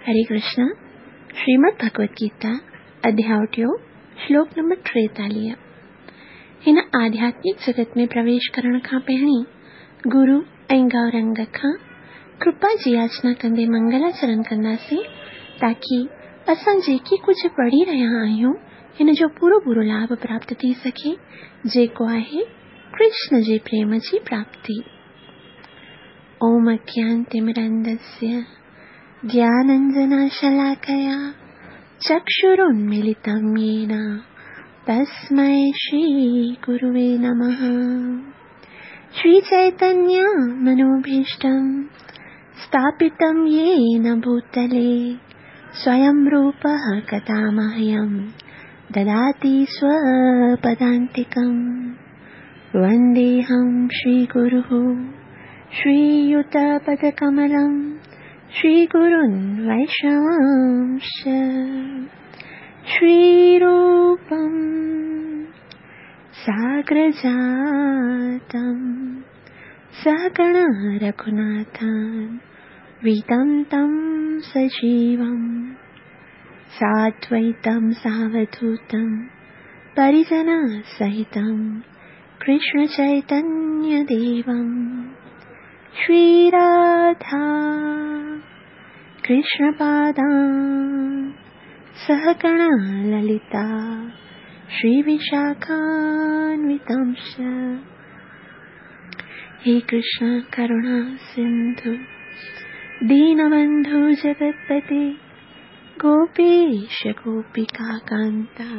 हरे कृष्णा। श्रीमद् भगवत गीता अध्याय टियों, श्लोक नंबर 43। हिन आध्यात्मिक जगत में प्रवेश करण खां पहिरीं गुरु ऐं गौरंग खां कृपा जी याचना कंदे मंगलाचरण कंदासीं ताकी असां जेके कुझु पढ़ी रहिया आहियूं हिन जो पूरो पूरो लाभ प्राप्त थी सघे, जेको आहे कृष्ण जे प्रेम जी प्राप्ति। ओम अज्ञानतिमिरन्धस्य ज्ञानाञ्जनशलाकया चक्षुरुन्मीलितं येन तस्मै श्रीगुरुवे नमः। श्रीचैतन्य मनोभीष्टं स्थापितं येन भूतले स्वयं रूपः कदा मह्यं ददाति स्वपदान्तिकं। वन्देऽहं श्रीगुरुः श्रीयुतपदकमलं श्रीगुरुन् वैष्णवांश्च। श्रीरूपं साग्रजातं सहगण रघुनाथान् वितं तं सजीवं साद्वैतं सावधूतं परिजनसहितं कृष्णचैतन्यदेवं। श्रीराधा कृष्णपादान् सहगण ललिता श्रीविशाखान्वितांश्च। हे कृष्ण करुणा सिन्धु दीनबन्धु जगत्पते गोपेश गोपिका कान्ता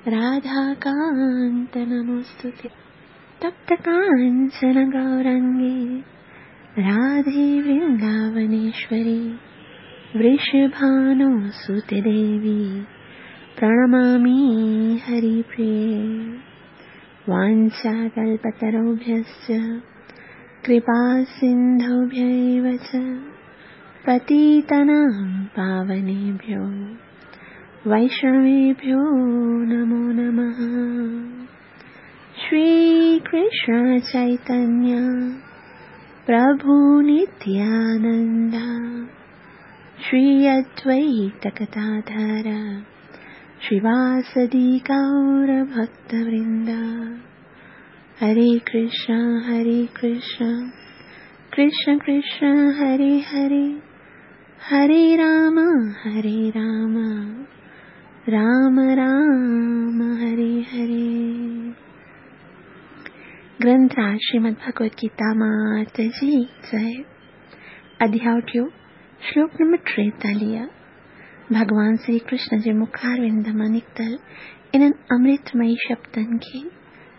राधाकान्त नमोऽस्तुते। तप्त काञ्चन गौरङ्गे राधे वृन्दावनेश्वरी वृषभानुसुते देवी प्रणमामि हरिप्रिये। वाञ्छाकल्पतरुभ्यश्च कृपासिन्धुभ्यैव च पतितानां पावनेभ्यो वैष्णवेभ्यो नमो नमः। श्रीकृष्ण चैतन्य प्रभु नित्यानन्द श्री अद्वैत गदाधर श्रीवासदि गौरभक्तवृन्द। हरे कृष्ण कृष्ण कृष्ण हरे हरे, हरे राम राम राम हरे हरे। ग्रंथराज श्रीमद् भगवत गीता मात जी जय। अध्याय टियों, श्लोक नंबर 43। भॻवान श्री कृष्ण जे मुखारविंद मां निकितल इन्हनि अमृतमयी शब्दनि खे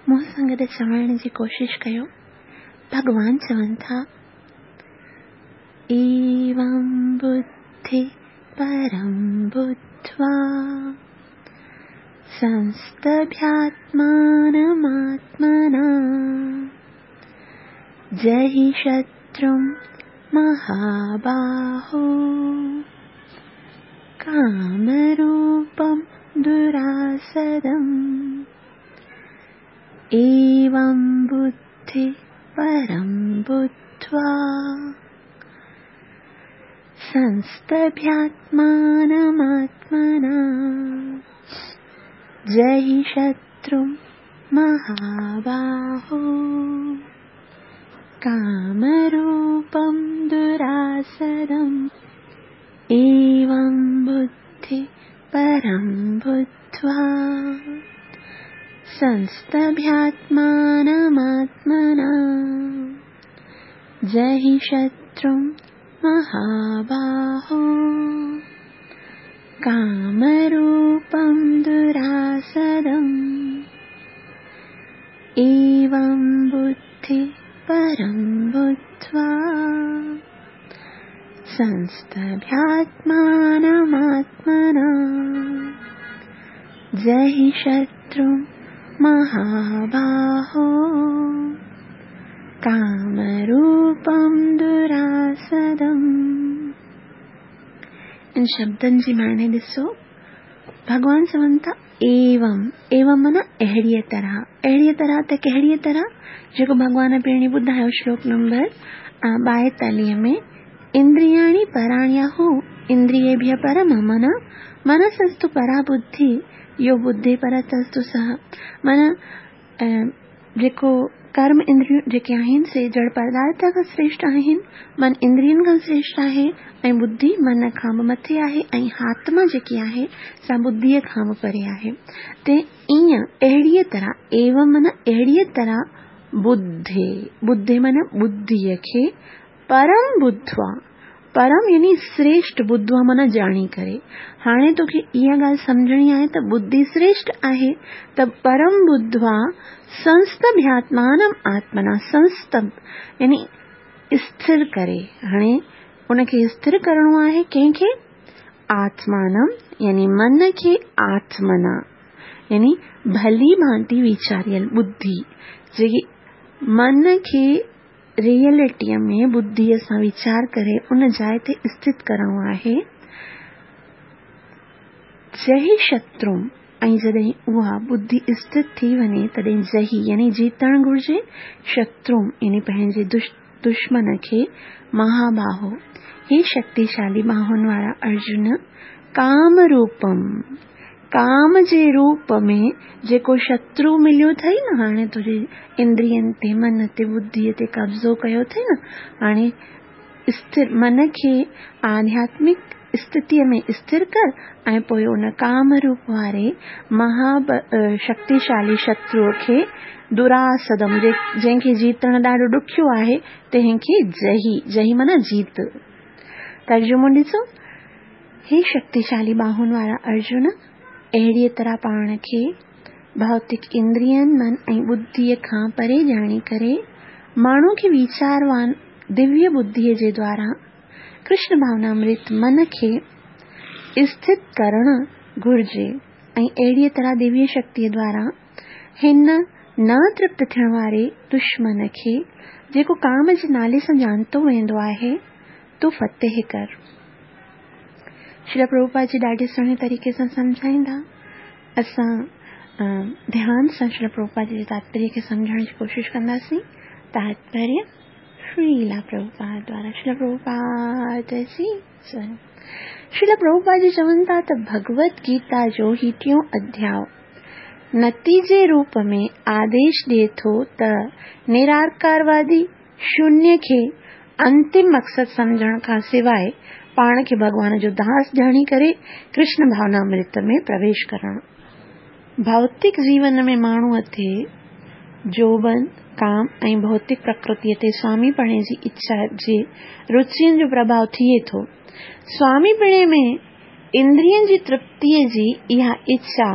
मूं सां गॾु चवण जी कोशिश कयो। भॻवान चवनि था, एवं बुद्धि परं बुद्ध्वा संस्तभ्यात्मानमात्मना जहि शत्रुं महाबाहो कामरूपं दुरासदम्। एवं बुद्धि परं बुद्ध्वा संस्तभ्यात्मानमात्मना जहि शत्रुं महाबाहो कामरूपं दुरासदम्। एवं बुद्धि परं बुद्ध्वा संस्तभ्यात्मानमात्मना जहि शत्रुं महाबाहो कामरूपं दुरासदम्। एवं बुद्धि परं बुद्ध्वा संस्तभ्यात्मानमात्मना जहि शत्रुं महाबाहो कामरूपं दुरासदम्। इन शब्दनि जी माने ॾिसो, भॻवान चवनि था एवं, एवं माना अहिड़ीअ तरह। अहिड़ीअ तरह त कहिड़ीअ तरह? जेको भॻवान पहिरीं ॿुधायो श्लोक नंबर 42 में, इंद्रियाणि पराण्याहु इंद्रियेभ्य परम मन मनसस्तु परा बुद्धि यो बुद्धि परतस्तु सह। माना जेको कर्म इंद्रियूं जेके आहिनि से जड़ पदार्थ खां श्रेष्ठ आहिनि, मन इंद्रियनि खां श्रेष्ठ आहे ऐं बुद्धि मन खां बि मथे आहे ऐं आत्मा जेकी आहे सा बुद्धीअ खां बि परे आहे। ते ईअं अहिड़ीअ तरह एवं माना अहिड़ीअ तरह बुद्धे बुद्धे माना बुद्धीअ खे परम बुद्धवा परम यानी श्रेष्ठ बुद्धवा माना ॼाणी करे। हाणे तोखे इहा ॻाल्हि सम्झणी आहे त बुद्धि श्रेष्ठ आहे त परम बुद्धवा संस्तभ्यात्मानम आत्मना संस्तभ यानी स्थिर करे। हाणे उनखे स्थिर करिणो आहे कंहिंखे? आत्मानम यानी मन खे आत्मना यानी भली भांति वीचारियल बुद्धि जेकी मन खे रियलिटीअ में बुद्धीअ सां वीचार करे उन जाइ ते स्थित करिणो आहे। जही शत्रु ऐं जॾहिं उहा बुद्धि स्थित थी वञे तॾहिं जही यानी जीतणु घुर्जे शत्रु यानी पंहिंजे दुश्मन खे महाबाहो हे शक्तिशाली बाहुनि वारा अर्जुन काम रूपम काम जे रूप में जेको शत्रु मिलियो अथई न हाणे तुंहिंजे इंद्रियनि ते मन ते बुद्धीअ ते कब्ज़ो कयो अथई न हाणे स्थिर मन खे आध्यात्मिक स्थितीअ में स्थिर कर ऐं पोइ उन काम रूप वारे महा शक्तिशाली शत्रुअ खे दुरासदम जंहिंखे जीतणु ॾाढो ॾुखियो आहे तंहिंखे जही जही माना जीत। तर्जुमो ॾिसो, हे शक्तिशाली बाहुनि वारा अर्जुन अहिड़ीअ तरह पाण खे भौतिक इंद्रियनि मन ऐं बुद्धीअ खां परे ॼाणी करे माण्हू खे वीचारवान दिव्य बुद्धीअ जे द्वारा कृष्ण भावनामृत मन खे स्थित करणु घुर्जे ऐं अहिड़ीअ तरह दिव्य शक्तीअ द्वारा हिन न तृप्त थियण वारे दुश्मन खे जेको काम जे नाले सां ॼाणितो वेंदो आहे तूं फतेह कर। श्रील प्रभुपाद जी ॾाढे सुहिणे तरीक़े सां सम्झाईंदा। असां ध्यान सां श्रील प्रभुपाद जी जे तात्पर्य खे सम्झण जी कोशिशि कंदासीं। तात्पर्य श्रीला प्रभुपाद द्वारा श्रील प्रभुपाद जी जय। श्रील प्रभुपाद जी चवनि था त भगवत गीता जो ही टियों अध्याय नतीजे रूप में आदेश ॾिए थो त निराकारवादी शून्य खे अंतिम मक़सदु सम्झण खां सवाइ पाण खे भॻवान जो दास ॼाणी करे कृष्ण भावनामृत में प्रवेश करणु। भौतिक जीवन में माण्हूअ ते जोबन काम ऐं भौतिक प्रकृतीअ ते स्वामीपणे जी इच्छा जे रुचियुनि जो प्रभाव थिए थो। स्वामीपणे में इंद्रियनि जी तृप्तीअ जी इहा इच्छा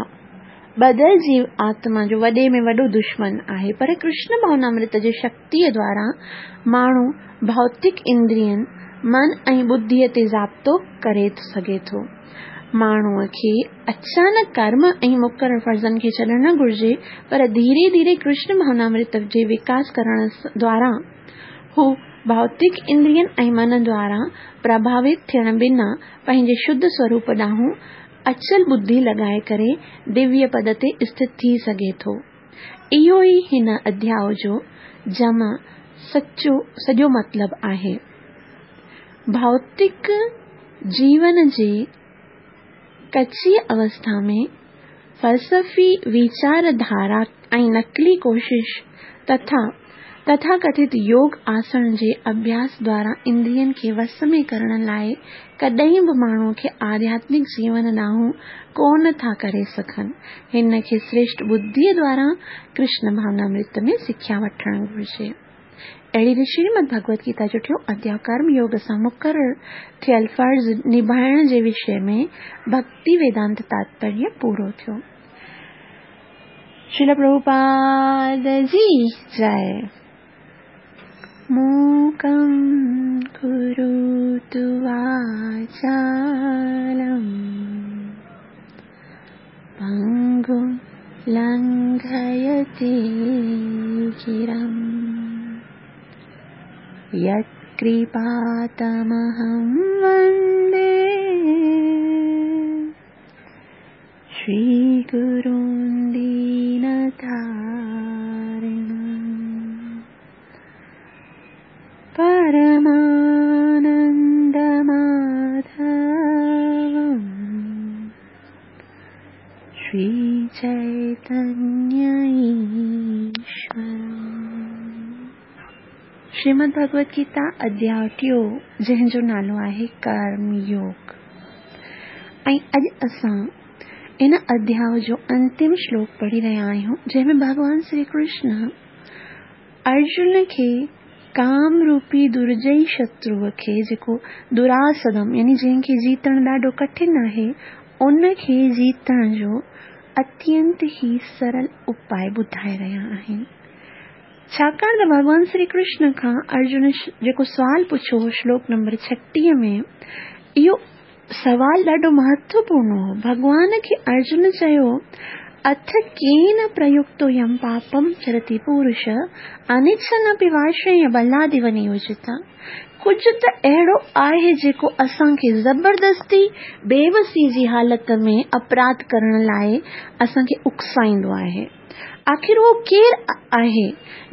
ॿधल जीव आत्मा जो वॾे में वॾो दुश्मन आहे, पर कृष्ण भावनामृत जे शक्तीअ द्वारा माण्हू भौतिक इंद्रियनि मन ऐं बुद्धीअ ते ज़ाब्तो करे सघे थो। माण्हूअ खे अचानक कर्म ऐं मुक़ररु फ़र्ज़नि खे छॾणु न घुर्जे, पर धीरे धीरे कृष्ण भावनामृत जे विकास करण द्वारा हू भौतिक इंद्रियनि ऐं मन द्वारा प्रभावित थियण बिना पंहिंजे शुद्ध स्वरूप ॾांहुं अचल बुद्धि लॻाए करे दिव्य पद ते स्थित थी सघे थो। इहो ई हिन अध्याय जो जमा सचो सॼो मतिलबु आहे। भौतिक जीवन जे कची अवस्था में फ़लसफ़ी वीचारधारा ऐं नक़ली कोशिश तथा तथाकथित योग आसण जे अभ्यास द्वारा इंद्रियनि खे वस में करण लाइ कॾहिं बि माण्हूअ खे आध्यात्मिक जीवन ॾांहुं कोन था करे सघनि। हिन खे श्रेष्ठ बुद्धीअ द्वारा कृष्ण भावनामृत में सिख्या वठणु घुर्जे। अहिड़ी रीति श्रीमद भगवत गीता जो टियों अध्याय कर्म योग सां मुक़ररु थियल फ़र्ज़ निभाइण जे विषय में भक्ति वेदांत तात्पर्य पूरो थियो। श्रील प्रभुपाद जी जय। मूकं करोतु वाचालं पङ्गुं लङ्घयते गिरिं यत्कृपातमहं वन्दे श्रीगुरुं दीनतारिणम्। परमानन्दमाधवम्। شري چيتنيه ايشور. شريمد ڀڳوت گيتا اڌياء ٽيون جنهن جو نالو آهي ڪرم يوگ ۽ اڄ اسان ان اڌياء جو انتم شلوڪ پڙهي رهيا آهيون جنهن ۾ ڀڳوان شري ڪرشن ارجن کي ڪام روپي درجئي شتروء کي جيڪو دراسدم يعني جنهن کي جيتڻ ڏاڍو ڪٺن آهي ان کي جيتڻ جو اتينت ئي سرل اپاء ٻڌائي رهيا آهن. ڇاڪاڻ ته ڀڳوان شري ڪرشن کان ارجن جيڪو سوال پڇيو هو شلوڪ نمبر 36 ۾ اهو سوال ڏاڍو مهتوپورڻ هو. ڀڳوان کي ارجن چيو، اٿ ڪين پريڪتو يم پاپم چرتي پورش انڇن اپي وارشڻيه بلاديو نيوجتا. ڪجهه ته اهڙو آهي جيڪو اسان کي زبردستي بيوسي جي حالت ۾ اپراڌ ڪرڻ لاء اسان کي اڪسائيندو آهي. آخر اهو ڪير آهي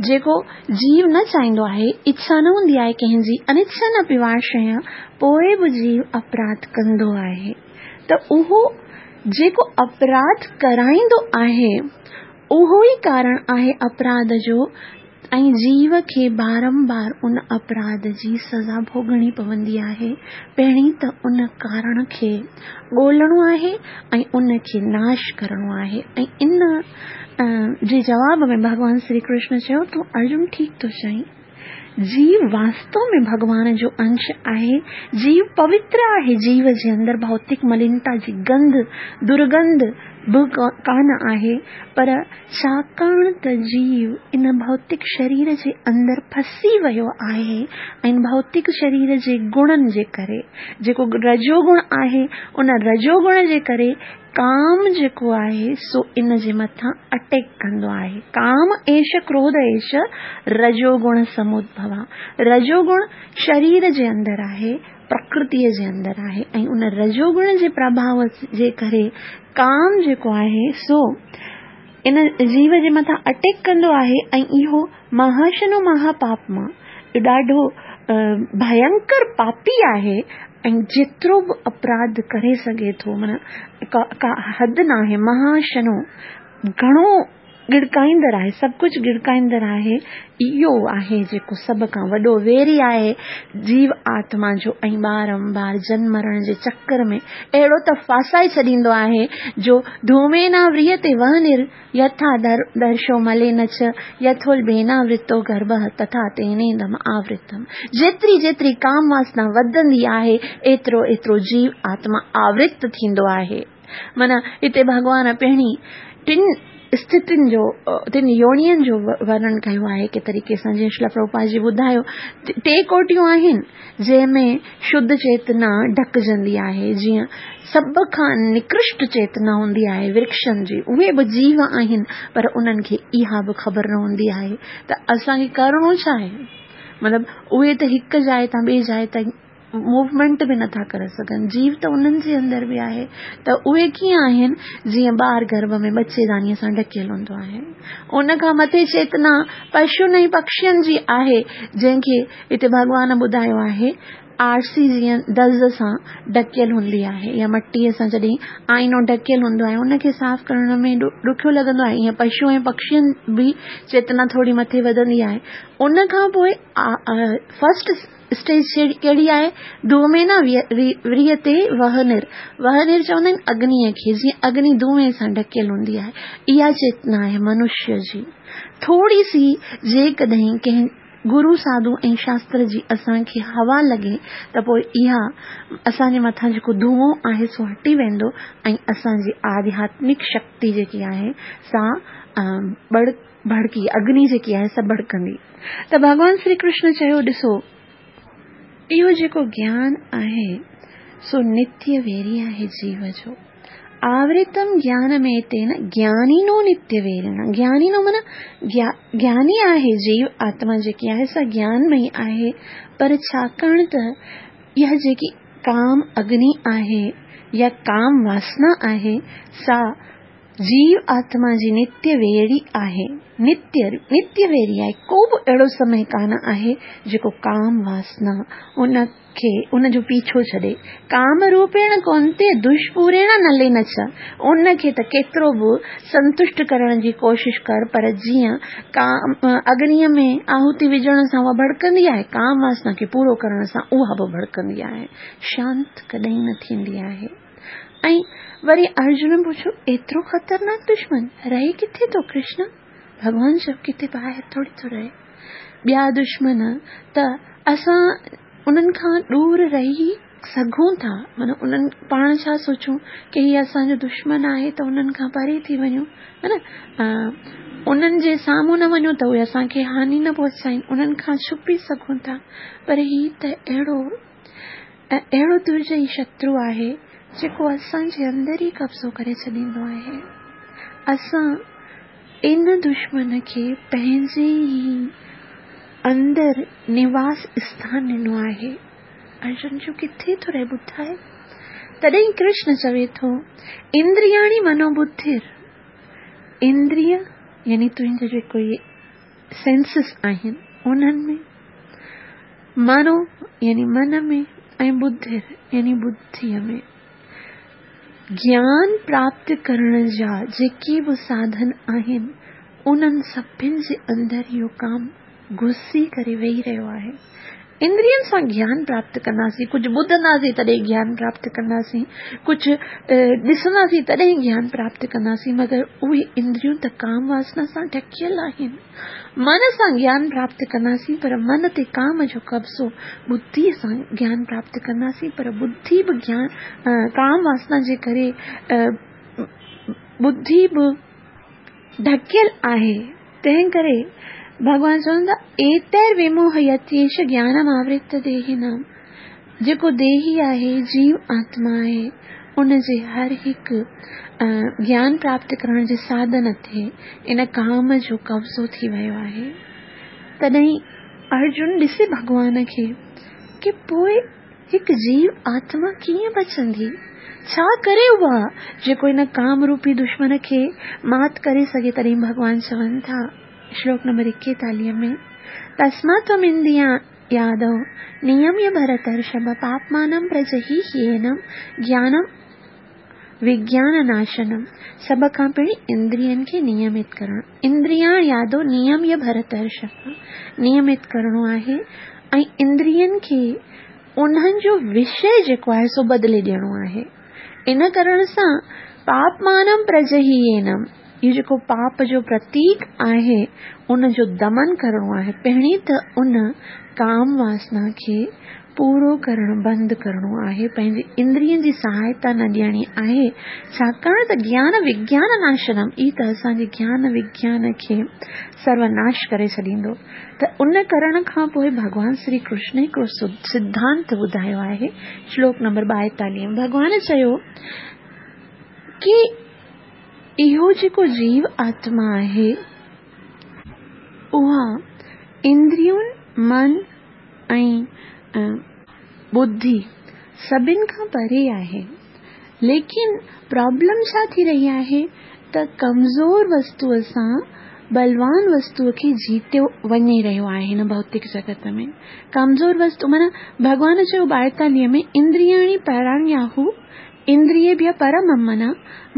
جيڪو جيو نه چاهيندو آهي، اڇا نه هوندي آهي ڪنهن جي، انڇن اپي وارشڻيه، پوء به جيو اپراڌ ڪندو آهي ته اهو جيڪو اپراڌ ڪرائيندو آهي اهو ئي ڪارڻ آهي اپراڌ جو ۽ جيو کي بارنبار ان اپراڌ جي سزا ڀوڳڻي پوندي آهي. پهرين ته ان ڪارڻ کي ڳولڻو آهي ۽ ان کي ناش ڪرڻو آهي ۽ ان جي جواب ۾ ڀڳوان شري ڪرشن چيو تون ارجن ٺيڪ ٿو چئين. جيو واستو ۾ ڀڳوان جو انش آهي. جيو پوتر آهي. جيو جي اندر ڀوتڪ ملينتا جي گنڌ، درگنڌ، به ڪانه آهي، پر ڇاڪاڻ ته جيو ان ڀوتڪ شرير جي اندر ڦسي ويو آهي ۽ ان ڀوتڪ شرير جي گڻن جي ڪري، جيڪو رجوگڻ آهي، ان رجوگڻ جي ڪري ڪام جيڪو آهي سو ان جي مٿان اٽيڪ ڪندو آهي. ڪام ايش ڪروڌ ايش رجوگڻ سمودڀوا. رجوگڻ شرير جي اندر آهي، پرڪرتيء جي اندر آهي ۽ ان رجوگڻ جي پرڀاء جي ڪري ڪام جيڪو آهي سو ان جيو جي مٿان اٽيڪ ڪندو آهي ۽ اهو مهاشنو مهاپاپما ڏاڍو ڀينڪر پاپي آهي ۽ جيترو به اپراڌ ڪري سگهي ٿو معنيٰ ڪا حد ناهي مهاشنو گهڻو ڳڙڪائيندڙ آهي، سڀ ڪجهه ڳڙڪائيندڙ آهي، اهو آهي جيڪو سڀ کان وڏو ويري آهي جيو آتما جو ۽ بارنبار جنم مرڻ جي چڪر ۾ اهڙو ته ڦاسائي ڇڏيندو آهي جو ڌوميناوريتي وهنر يٿا درشو ملين چ يٿولڀيناورتو گرڀه تٿا تينيدم آورتم جيتري جيتري ڪام واسنا وڌندي آهي ايترو ايترو جيو آتما آورت ٿيندو آهي. معنيٰ هتي ڀڳوان پهرين ٽن اسٿتين جو ٽن يونين جو ورڻن ڪيو آهي هڪ طريقي سان جيئن شريلا پرڀوپاد جي ٻڌايو ٽي ڪوٽيون آهن جنهن ۾ شڌ چيتنا ڍڪجندي آهي جيئن سڀ کان نڪرشٽ چيتنا هوندي آهي ورڪشن جي اهي به جيو آهن پر انهن کي اها به خبر نه هوندي آهي ته اسان کي ڪرڻو ڇا آهي مطلب اهي ته هڪ جاء تان ٻي جاء تائين موومينٽ به نٿا ڪري سگهن جيو ته انهن جي اندر به آهي ته اهي ڪيئن آهن جيئن ٻار گرڀ ۾ ٻچي دانيء سان ڍڪيل هوندو آهي ان کان مٿي چيتنا پشن ۽ پکشين جي آهي جنهن کي هتي ڀڳوان ٻڌايو آهي آرسي جيئن دز سان ڍڪيل هوندي آهي يا مٽيء سان جڏهن آئينو ڍڪيل هوندو آهي ان کي صاف ڪرڻ ۾ ڏکيو لڳندو آهي ائين پشو ۽ پکشين به چيتنا ٿوري مٿي وڌندي آهي ان کان پوء فرسٽ اسٽيج ڪهڙي آهي؟ ڌومينا وريتي وهنر. وهنر چوندا آهن اگنيء کي، جيئن اگني ڌوئين سان ڍڪيل هوندي آهي. اها چيتنا آهي منشيء جي. ٿوري سي جيڪڏهن ڪنهن گرو ساڌو ۽ شاستر جي اسان کي هوا لڳي ته پوء اها اسان جي مٿان جيڪو ڌوئون آهي سو هٽي ويندو ۽ اسان جي آڌياتمڪ شڪتي جيڪي آهي سا ٻڙ ڀڙڪي، اگني جيڪي آهي سا ڀڙڪندي. ته ڀڳوان شري ڪرشن چيو، ڏسو! اهو جيڪو گيان آهي، سو نتيه ويري آهي جيو جو. آورتم گيان ميتين گيانينو نتيه ويرڻا. گيانينو معنيٰ گياني آهي جيو، آتما جيڪي آهي سا گيانمئي آهي، پر ڇاڪاڻ ته اها جيڪي ڪام اگني آهي يا ڪام واسنا آهي، سا. جيو آتما جي نتيه ويري آهي. نتيه نتيه ويري آهي. ڪو به اهڙو سمي ڪانه آهي جيڪو ڪام واسنا ان کي ان جو پيڇو ڇڏي. ڪام روپيڻ ڪونتي دشپوريڻ نلين چ. ان کي ته ڪيترو به سنتشٽ ڪرڻ جي ڪوشش ڪر پر جيئن ڪام اگنيء ۾ آهوتي وجهڻ سان اها ڀڙڪندي آهي، ڪام واسنا کي پورو ڪرڻ سان اها به ڀڙڪندي آهي. شانت ڪڏهن نه ٿيندي آهي. ۽ وري ارجن پڇيو، ايترو خطرناڪ دشمن رهي ڪٿي ٿو ڪرشن؟ ڀڳوان چيو، ڪٿي ٻاهر ٿوري ٿو رهي. ٻيا دشمن ته اسان انهن کان ڏور رهي سگهون ٿا، معنيٰ انهن پاڻ ڇا سوچون ڪي هي اسان جو دشمن آهي ته انهن کان پري ٿي وڃون ها نه انهن جي سامهون نه وڃون ته اهي اسان کي هاني نه پهچائين، انهن کان ڇپي سگهون ٿا، پر هي ته اهڙو اهڙو درجئي شترو آهي جيڪو اسان جي اندر ئي قبضو ڪري ڇڏيندو آهي. اسان ان دشمن کي پنهنجي ئي اندر نواس اسٿان ڏنو آهي. ارجن چيو ڪٿي ٿو رهي ٻڌاء؟ تڏهن ڪرشن چوي ٿو اندرياڻي منوبڌر اندريه يعني تنهنجا جيڪو اهي سينسز آهن انهن ۾ منو يعني من ۾ ۽ ٻڌر يعني ٻڌيء ۾ گيان پراپت ڪرڻ جا جيڪي به ساڌن آهن انهن سڀن جي اندر اهو ڪام گهسي ڪري ويهي رهيو آهي. اندرين سان گيان پراپت ڪنداسين، ڪجهه ٻڌنداسين تڏهن گيان پراپت ڪنداسين، ڪجهه ڏسنداسين تڏهن گيان پراپت ڪنداسين، مگر اهي اندريون ته ڪام واسنا سان ڍڪيل آهن. من سان گيان پراپت ڪنداسين پر من تي ڪام جو قبضو، ٻڌيء سان گيان پراپت ڪنداسين پر ٻڌي به گيان ڪام واسنا جي ڪري ٻڌي به ڍڪيل آهي، تنهن ڪري ڀڳوان چون ٿا، ايتير وموهيتيش گيانم آورت ديهينام، جيڪو ديهي آهي، جيو آتما آهي، ان جي هر هڪ گيان پراپت ڪرڻ جي ساڌن تي ان ڪام جو قبضو ٿي ويو آهي. تڏهن ارجن ڏسي ڀڳوان کي ڪي پوء هڪ جيو آتما ڪيئن بچندي؟ ڇا ڪري اها جيڪو ان ڪام روپي دشمن کي مات ڪري سگهي تڏهن ڀڳوان چون ٿا شلوڪ نمبر 41 ۾ تسمات تم اندريان يادو نيميه ڀرترشڀ پاپمانم پرجهي هينم گيانم وگيان ناشنم سڀ کان پهرين اندرين کي نيمت ڪرڻ اندريان يادو نيميه ڀرترشڀ نيمت ڪرڻو آهي ۽ اندرين کي انهن جو وشي جيڪو آهي سو بدلي ڏيڻو آهي ان ڪرڻ سان پاپمانم پرجهيينم اهو جيڪو پاپ جو پرتيڪ آهي ان جو دمن ڪرڻو آهي پهرين ته ان ڪام واسنا کي پورو ڪرڻ بند ڪرڻو آهي، پنهنجي اندرين جي سهائتا نه ڏيڻي آهي، ڇاڪاڻ ته گيان وگيان ناشنم ئي ته اسان جي گيان وگيان کي سروناش ڪري ڇڏيندو ته ان ڪرڻ کان پوء ڀڳوان شري ڪرشن هڪڙو سڌانت ٻڌايو آهي شلوڪ نمبر 42 ۾ ڀڳوان چيو ڪي اهو جيڪو جيو آتما آهي اها اندريون من ۽ ٻڌي سڀن کان پري آهي. ليڪن پرابلم ڇا ٿي رهي آهي ته ڪمزور وستوء سان ٻلوان وستوء کي جيتيو وڃي رهيو آهي هن ڀوتڪ جڳت ۾. ڪمزور وستو معنيٰ ڀڳوان چيو 42 ۾ اندرياڻي پراڻياهو اندريڀيه پرم من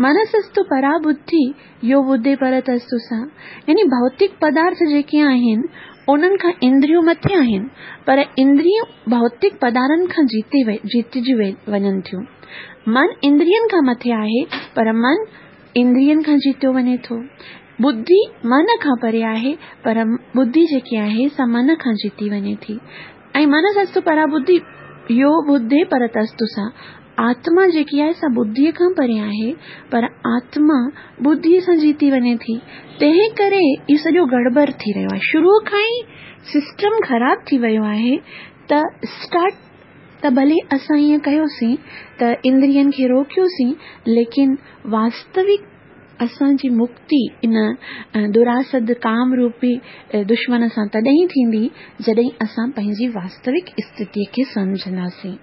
منسستو پرا ٻڌي يو ٻڌي پرتستو سا يعني ڀوتڪ پدارٿ جيڪي آهن انهن کان اندريون مٿي آهن پر اندريون ڀوتڪ پدارن کان جيتي جيتجي وڃن ٿيون. من اندرين کان مٿي آهي پر من اندرين کان جيتيو وڃي ٿو. ٻڌي من کان پري آهي پر ٻڌي جيڪي آهي سا من کان جيتي وڃي ٿي. ۽ منسستو پرا ٻڌي يو ٻڌي پرتستو سا آتما جيڪي آهي سا ٻڌيء کان پري آهي، پر آتما ٻڌيء سان جيتي وڃي ٿي، تنهن ڪري اهو سڄو گڙٻڙ ٿي رهيو آهي. شروع کان ئي سسٽم خراب ٿي ويو آهي ته اسٽارٽ ته ڀلي اسان ائين ڪيوسين ته اندرين کي روڪيوسين، ليڪن واستوڪ اسان جي مڪتي ان دراسد ڪام روپي دشمن سان تڏهن ٿيندي، جڏهن اسان پنهنجي واستوڪ اسٿتيء کي سمجهنداسين.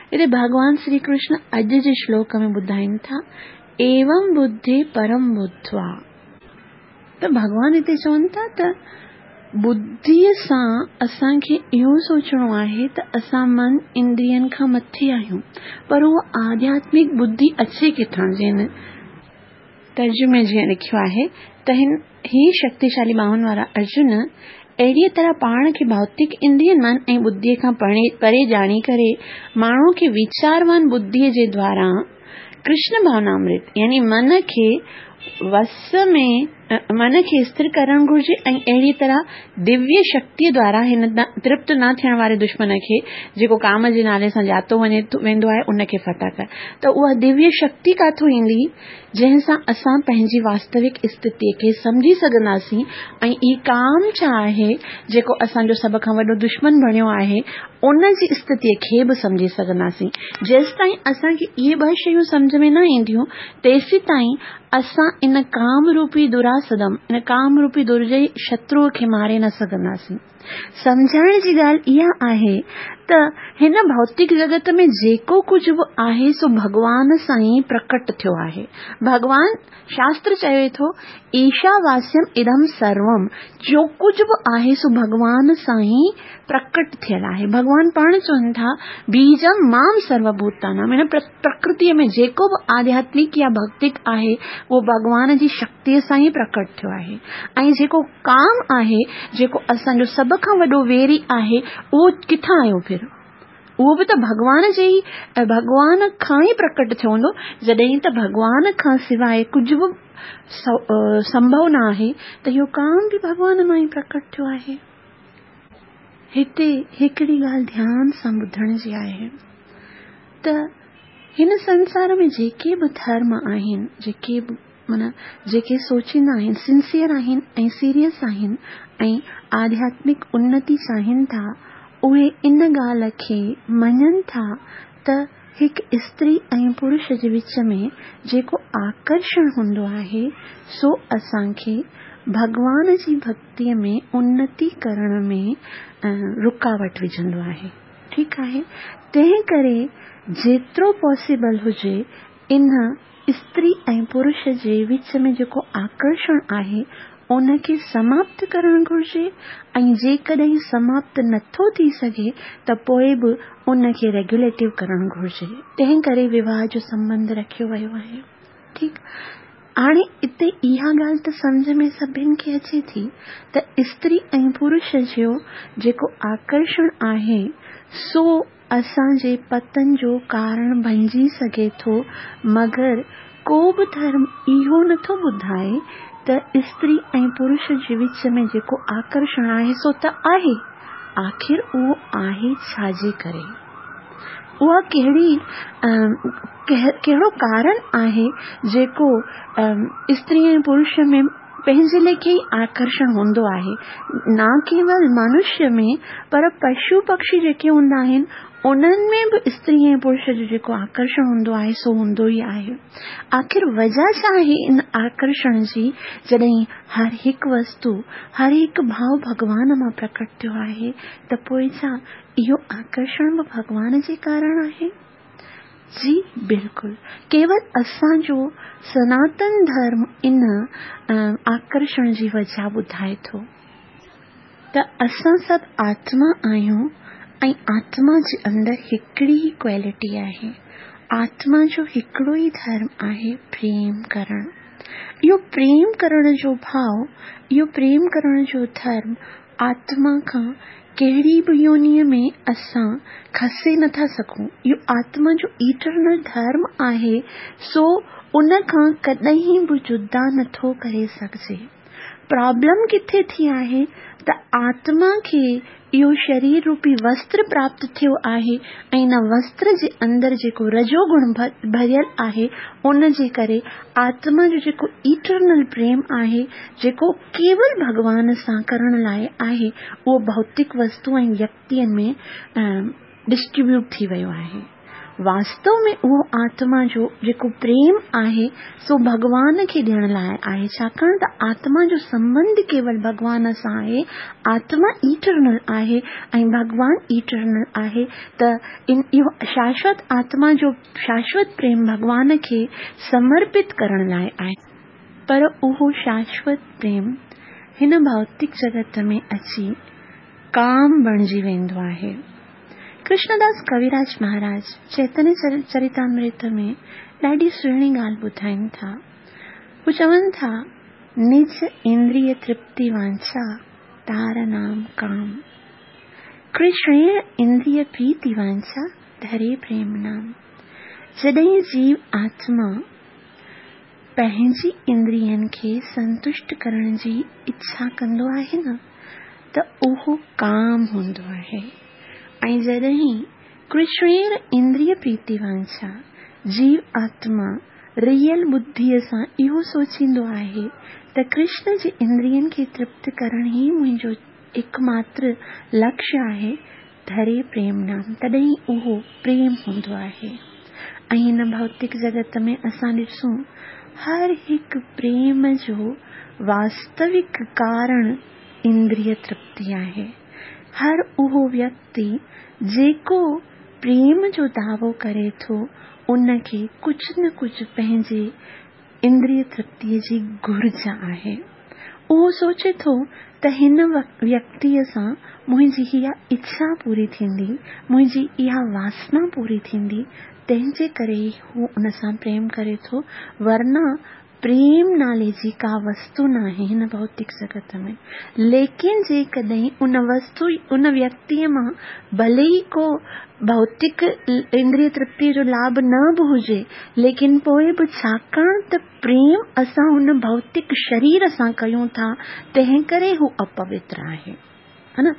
هتي ڀڳوان شري ڪرشن اڄ جي شلوڪ ۾ ٻڌائين ٿا، ايوم ٻڌي پرم ٻڌوا. ته ڀڳوان هتي چون ٿا ته ٻڌيء سان اسان کي اهو سوچڻو آهي ته اسان من اندرين کان مٿي آهيون پر اها آڌياتمڪ ٻڌي اچي ڪٿان؟ جنهن ترجمي جيئن لکيو آهي ته هن هي شڪتيشالي ٻانهن وارا ارجن اهڙيء طرح پاڻ کي ڀوتڪ اندرين من ۽ ٻڌيء کان پري ڄاڻي ڪري ماڻهوء کي ويچاروان ٻڌيء جي دواران ڪرشن ڀاونامرت يعني من کي وس ۾ من کي استر ڪرڻ گهرجي ۽ اهڙيء طرح دويه شڪتيء دوارا هن ترپت نه ٿيڻ واري دشمن کي، جيڪو ڪام جي نالي سان ڄاتو وڃي ويندو آهي، ان کي فتح ڪر. ته اها دويه شڪتي ڪاٿو ايندي، جنهن سان اسان پنهنجي واستوڪ استٿيء کي سمجهي سگهنداسين ۽ هي ڪام ڇا آهي، جيڪو اسان جو سڀ کان وڏو دشمن بڻيو آهي، ان جي استٿيء کي به سمجهي سگهنداسين. جيستائين اسان کي اهي ٻه شيون سمجهه ۾ نه اينديون، تيسيتائين اسان ان ڪام روپي دراسدم، ان ڪام روپي درجئي شتروء کي ماري نه سگهنداسين. سمجهائڻ جي ڳالهه اها آهي ته هن ڀوتڪ جڳت ۾ جيڪو ڪجهه به آهي سو ڀڳوان سان ئي پرڪٽ ٿيو آهي. ڀڳوان، شاستر چوي ٿو، ايشا واسيم ادم سروم، جو ڪجهه به آهي سو ڀڳوان سان ئي پرڪٽ ٿيل آهي. ڀڳوان پاڻ چون ٿا، بيجم مام سرو ڀوتانام، هن پرڪرتيء ۾ جيڪو به آڌياتمڪ يا ڀوتڪ آهي، اهو ڀڳوان جي شڪتيء سان ئي پرڪٽ ٿيو آهي ۽ جيڪو ڪام آهي، جيڪو اسان جو سڀ کان وڏو ويري آهي، اهو ڪٿان آيو ڦر؟ اهو به ته ڀڳوان جي ئي ڀڳوان کان ئي پرڪٽ ٿيو هوندو، جڏهن ته ڀڳوان کان سواء ڪجهه به سنڀو نه آهي ته اهو ڪام به ڀڳوان مان ئي پرڪٽ ٿيو آهي. هتي هڪڙي ڳالهه ڌيان سان ٻڌڻ جي آهي ته هن سنسار ۾ جيڪي به ڌرم آهن، جيڪي به معنيٰ جيڪي سوچيندا آهن، سنسيئر آهن ۽ سيريس آهن ۽ آڌياتمڪ انتي چاهين ٿا، اهي ان ڳالهه کي مڃن ٿا ته هڪ استري ۽ پرش جي وچ ۾ جيڪو آڪرشڻ هوندو آهي، سو اسان کي ڀڳوان جي ڀڳتيء ۾ انتي ڪرڻ ۾ رڪاوٽ وجهندو آهي. ٺيڪ آهي، تنهن ڪري جيترو پاسيبل هجي ان استري ۽ پرش جي وچ ۾ جيڪو آڪرشڻ آهي، ان کي سماپت ڪرڻ گهرجي ۽ جيڪڏهن سماپت نٿو ٿي سگهي ته پوء به ان کي ريگيوليٽو ڪرڻ گهرجي. تنهن ڪري وواهه جو سنٻنڌ رکيو ويو آهي. ٺيڪ هاڻي اتي اها ڳالهه ته سمجهه ۾ سڀن کي اچي ٿي ته استري ۽ پرش جو جيڪو آڪرشڻ آهي، سو اسان جي پتن جو ڪارڻ بنجي سگهي ٿو، مگر ڪو به ڌرم اهو نه ٿو ٻڌائي ته استري ۽ پرش جي وچ ۾ جيڪو آڪرشڻ آهي سو ته آهي، آخر اهو آهي ڇا جي ڪري؟ اها ڪهڙي ڪهڙو ڪارڻ آهي جيڪو استري ۽ پرش ۾ پنهنجي ليکي ئي آڪرشڻ هوندو آهي، نه ڪيول منشيه ۾ پر پشو پکشي جيڪي هوندا آهن انهن ۾ به استري ۽ پرش جو جيڪو آڪرشڻ هوندو آهي سو هوندو ئي آهي. آخر وجهه ڇا آهي ان آڪرشڻ جي جڏهن هر هڪ وستو، هر هڪ ڀاو ڀڳوان مان پرڪٽ ٿيو آهي ته پوء ڇا اهو آڪرشڻ به ڀڳوان جي ڪارڻ آهي؟ جي بلڪل ڪيول اسان جو سناتن ڌرم ان آڪرشڻ جي وجهه ٻڌائي ٿو ته اسان سڀ آتما آهيون ۽ آتما جي اندر هڪڙي ئي ڪوالٽي آهي آتما جو هڪڙو ئي ڌرم آهي پريم ڪرڻ اهو پريم ڪرڻ جو ڀاو اهو پريم ڪرڻ جو ڌرم آتما کان ڪهڙي به يونيء ۾ اسان کسي نه ٿا سگهون. اهو آتما جو ايٽرنل ڌرم آهي، سو ان کان ڪڏهن به جدا نه ٿو ڪري سگهجي. پرابلم ڪٿي ٿي آهي ته آتما کي اهو شرير روپي وستر پراپت ٿيو آهي ۽ ان وستر جي اندر جيڪو رجو گڻ ڀريل آهي ان جي ڪري آتما جو جيڪو ايٽرنل پريم آهي جيڪو ڪيول ڀڳوان سان ڪرڻ لاء آهي، اهو ڀوتڪ وستو ۽ ويڪتين ۾ ڊسٽريبيوٽ ٿي ويو آهي. واستو ۾ اهو آتما جو جيڪو پريم آهي سو ڀڳوان کي ڏيڻ لاء آهي، ڇاڪاڻ ته آتما جو سنٻنڌ ڪيول ڀڳوان سان آهي، آتما ايٽرنل آهي ۽ ڀڳوان ايٽرنل آهي ته ان اهو شاشوت آتما جو شاشوت پريم ڀڳوان کي سمرپت ڪرڻ لاء آهي. پر اهو شاشوت پريم هن ڀوتڪ جڳت ۾ اچي ڪام بڻجي ويندو آهي. ڪرشنداس ڪويراج مهاراج چيتنيه چريتامرت ۾ ڏاڍي سهڻي ڳالهه ٻڌائين ٿا. هو چون ٿا، نج اندريه ترپتي وانڇا تار نام ڪام. ڪرشڻير اندريه پريتي وانڇا ڌري پريم نام. جڏهن جيو آتما پنهنجي اندرين کي سنتشٽ ڪرڻ جي اڇا ڪندو آهي نه ته اهو ڪام هوندو آهي ۽ جڏهن ڪرشڻير اندريه پريتي وانڇا جيو آتما ريئل ٻڌيء سان اهو سوچيندو آهي ته ڪرشن جي اندرين کي ترپت ڪرڻ ئي منهنجو ايڪماتر لڪشيه آهي ڌري پريم نام تڏهن اهو پريم هوندو آهي ۽ هن ڀوتڪ جڳت ۾ اسان ڏسون هر هڪ پريم جو واستوڪ ڪارڻ اندريه ترپتي آهي. هر اهو ويڪتي جيڪو پريم جو دعوو ڪري ٿو ان کي ڪجهه نه ڪجهه پنهنجي اندريه ترپتيء جي گهرج آهي. اهو سوچي ٿو ته هن ويڪتيء سان منهنجي اها اڇا پوري ٿيندي، منهنجي اها واسنا پوري ٿيندي، تنهن جي ڪري ئي هو ان سان پريم ڪري ٿو، ورنه پريم نالي جي ڪا وستو ناهي هن ڀوتڪ جڳت ۾. ليڪن جيڪڏهن ان وستو، ان ويڪتيء مان ڀلي ئي ڪو ڀوتڪ اندريه ترپتيء جو لاڀ نه به هجي، ليڪن پوء به ڇاڪاڻ ته پريم اسان هن ڀوتڪ شرير سان ڪيون ٿا، تنهنڪري هو اپوتر آهي. ها نه؟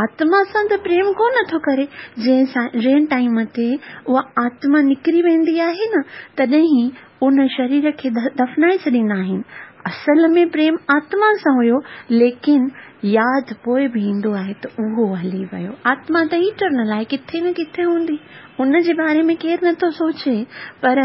آتما سان ته پريم ڪو نه ٿو ڪري. جنهن ٽائيم تي اها آتما نڪري ويندي آهي نه، تڏهن ئي ان شرير کي دفنائي ڇڏيندا آهن. اصل ۾ پريم آتما سان هيو، ليڪن ياد پوء به ايندو آهي ته اهو هلي ويو. آتما ته ايٽرنل آهي، ڪٿي نه ڪٿي هوندي. ان جي باري ۾ ڪير نه ٿو سوچي، پر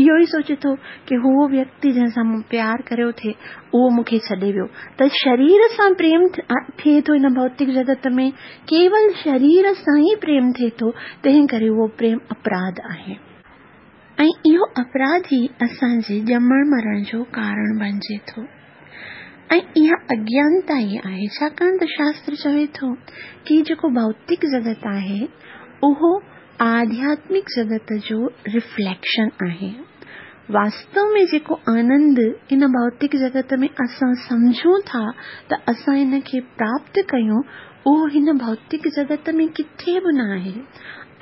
اهو ئي سوچي ٿو ڪي هو ويڪتي جنهن سان مون پيار ڪريو ٿي، اهو مون کي ڇڏي ويو. ته شرير سان پريم ٿئي ٿو هن ڀوتڪ جڳت ۾، ڪيول شرير سان ئي پريم ٿئي ٿو، تنهن ڪري اهو پريم اپراڌ آهي. ۽ اهو اپراڌ ئي اسان جي ڄمڻ مرڻ جو ڪارڻ بڻجي ٿو ۽ اها اگيانتا ئي آهي ڇاڪاڻ ته شاستر چوي ٿو ڪي جيڪو ڀوتڪ جڳت آهي اهو آڌياتمڪ جڳت جو رفليڪشن آهي. واستو ۾ جيڪو آنند ان ڀوتڪ جڳت ۾ اسان سمجهون ٿا ته اسان ان کي پراپت ڪيون اهو هن ڀوتڪ جڳت ۾ ڪٿي به نه آهي.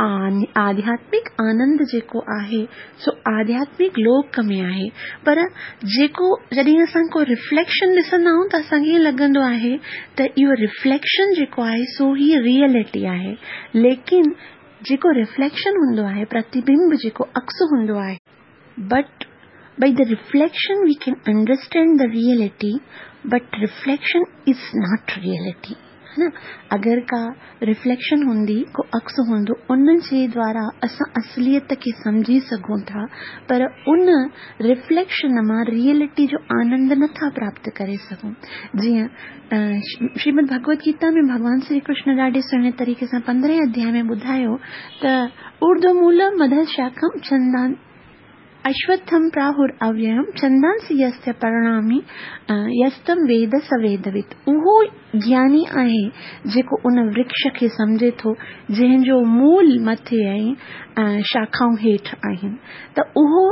آڌياتمڪ آنند جيڪو آهي سو آڌياتمڪ لوڪ ۾ آهي پر جيڪو جڏهن اسان ڪو رفليڪشن ڏسندا آهيون ته اسان کي ائين لڳندو آهي ته اهو رفليڪشن جيڪو آهي سو هي ريئلٽي آهي ليڪن جيڪو رفليڪشن هوندو آهي پرتبمب جيڪو عڪس هوندو آهي but by the reflection we can understand the reality but reflection is not reality ها نه اگر ڪا رفليڪشن هوندي ڪو عڪس هوندو ان جي دوارا اسان اصليت کي سمجهي سگهون ٿا پر ان رفليڪشن مان ريئلٽي جو آنند نه ٿا پراپت ڪري سگهون جيئن شريمد ڀڳوت گيتا ۾ ڀڳوان شري ڪرشن ڏاڍي سهڻي طريقي سان پندرهين اڌياء ۾ ٻڌايو ته اردو مول مڌ شاکم چندان اشوٿم پراهر اويم ڇندانسي يستي پرڻامي يستم ويد س ويدوت اهو گياني آهي جيڪو ان ورڪش کي سمجهي ٿو جنهن جو مول مٿي ۽ شاخائون هيٺ آهن ته اهو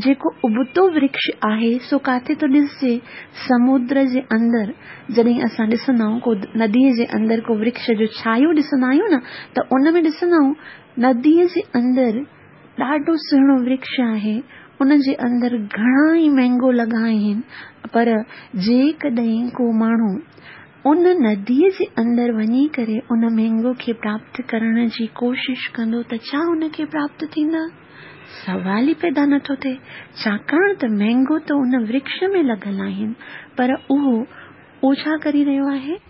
جيڪو ابتو ورڪش آهي سو ڪاٿي ٿو ڏسجي سمودر جي اندر جڏهن اسان ڏسندا آهيون ڪو ندي جي اندر ڪو ورڪش جو ڇايو ڏسندا آهيون نه ته ان ۾ ڏسندا آهيون ندي جي اندر ڏاڍو سهڻو ورڪش آهي، ان جي اندر گهڻا ئي مينگو لڳا آهن، پر جيڪڏهن ڪو ماڻهو ان نديء جي اندر وڃي ڪري ان مينگو کي پراپت ڪرڻ جي ڪوشش ڪندو ته ڇا ان کي پراپت ٿيندا؟ سوال ئي پيدا نه ٿو ٿئي، ڇاڪاڻ ته مينگو ته ان ورڪش ۾ لڳل آهن، پر اهو اهو ڇا ڪري رهيو آهي؟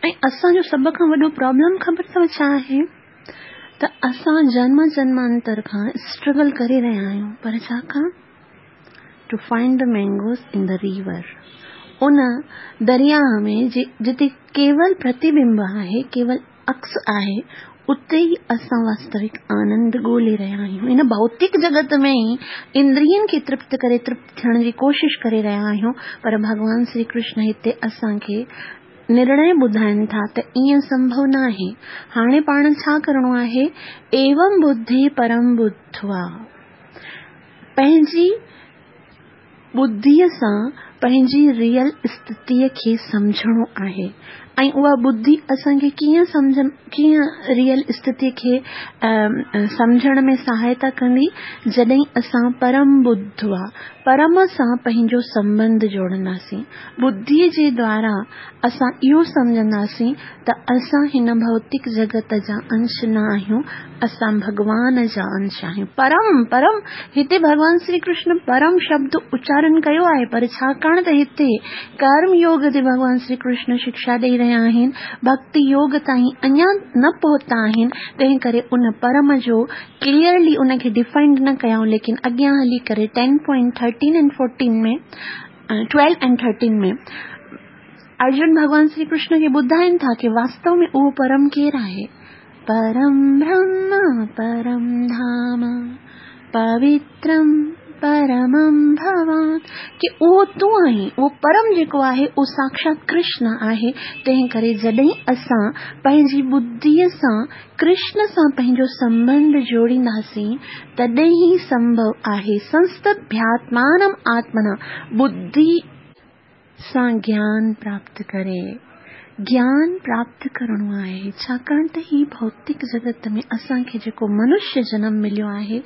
۽ اسان جو سڀ کان وڏو پرابلم خبر اٿو ڇا آهي؟ ته اسان جنم جنمانتر کان اسٽرگل ڪري رهيا آهيون پر ڇا کان؟ To find the mangoes in the river ان درياهه ۾ جتي ڪيول پرتيبمب آهي، ڪيول عڪس آهي، اتي ئي اسان واستوڪ آنند ڳولي رهيا آهيون. هن ڀوتڪ جڳت ۾ ئي اندرين کي ترپت ڪري ترپت ٿيڻ جي ڪوشش ڪري رهيا آهيون، پر ڀڳوان شري ڪرشن هتي اسان کي نرڻي ٻڌائين ٿا ته ائين سنڀو ناهي. هاڻي پاڻ ڇا ڪرڻو آهي؟ ايوم ٻڌي پرم ٻڌوا. پنهنجي ٻڌيء سان پنهنجي ريئل استٿيء کي سمجهڻو آهي ۽ اها ٻڌي اسان کي ڪيئن سمجهه ڪيئن ريئل استٿيء کي سمجهڻ ۾ سهائتا ڪندي جڏهن اسان پرم ٻڌوا پرم سان پنهنجو سنٻنڌ جوڙنداسين ٻڌيء جي دوارا اسان اهو سمجهنداسين ته اسان هن ڀوتڪ جڳت جا انش نه آهيون، اسان ڀڳوان جا انش آهيون. پرم، پرم، هتي ڀڳوان شري ڪرشن پرم شبد اچارن ڪيو آهي پر ڇاڪاڻ ته هتي ڪرم يوگ تي ڀڳوان شري ڪرشن شڪشا ڏئي رهيا آهن، ڀڳتي يوگ تائين اڃا نه پهتا آهن، تنهن ڪري ان پرم جو ڪليئرلي ان کي ڊفائنڊ نه ڪيائون ليڪن اڳيان هلي ڪري ten point thirteen and fourteen ۾ twelve and thirteen ۾ Arjun ڀڳوان شري ڪرشن کي ٻڌائين ٿا ڪي واستو ۾ اهو پرم ڪير آهي؟ پرم برهم پرم ڌام پوترم پرمم ڀوان ڪي اهو تون آهين اهو پرم جيڪو آهي اهو ساکشات ڪرشن آهي تنهن ڪري جڏهن اسان پنهنجي ٻڌيء سان ڪرشن سان پنهنجو سنٻنڌ جوڙينداسين تڏهن ئي سنڀو آهي سنستڀياتمانم آتمنا ٻڌي سان گيان پراپت ڪري گيان پراپت ڪرڻو آهي ڇاڪاڻ ته هي ڀوتڪ جڳت ۾ اسان کي جيڪو منشيه جنم مليو آهي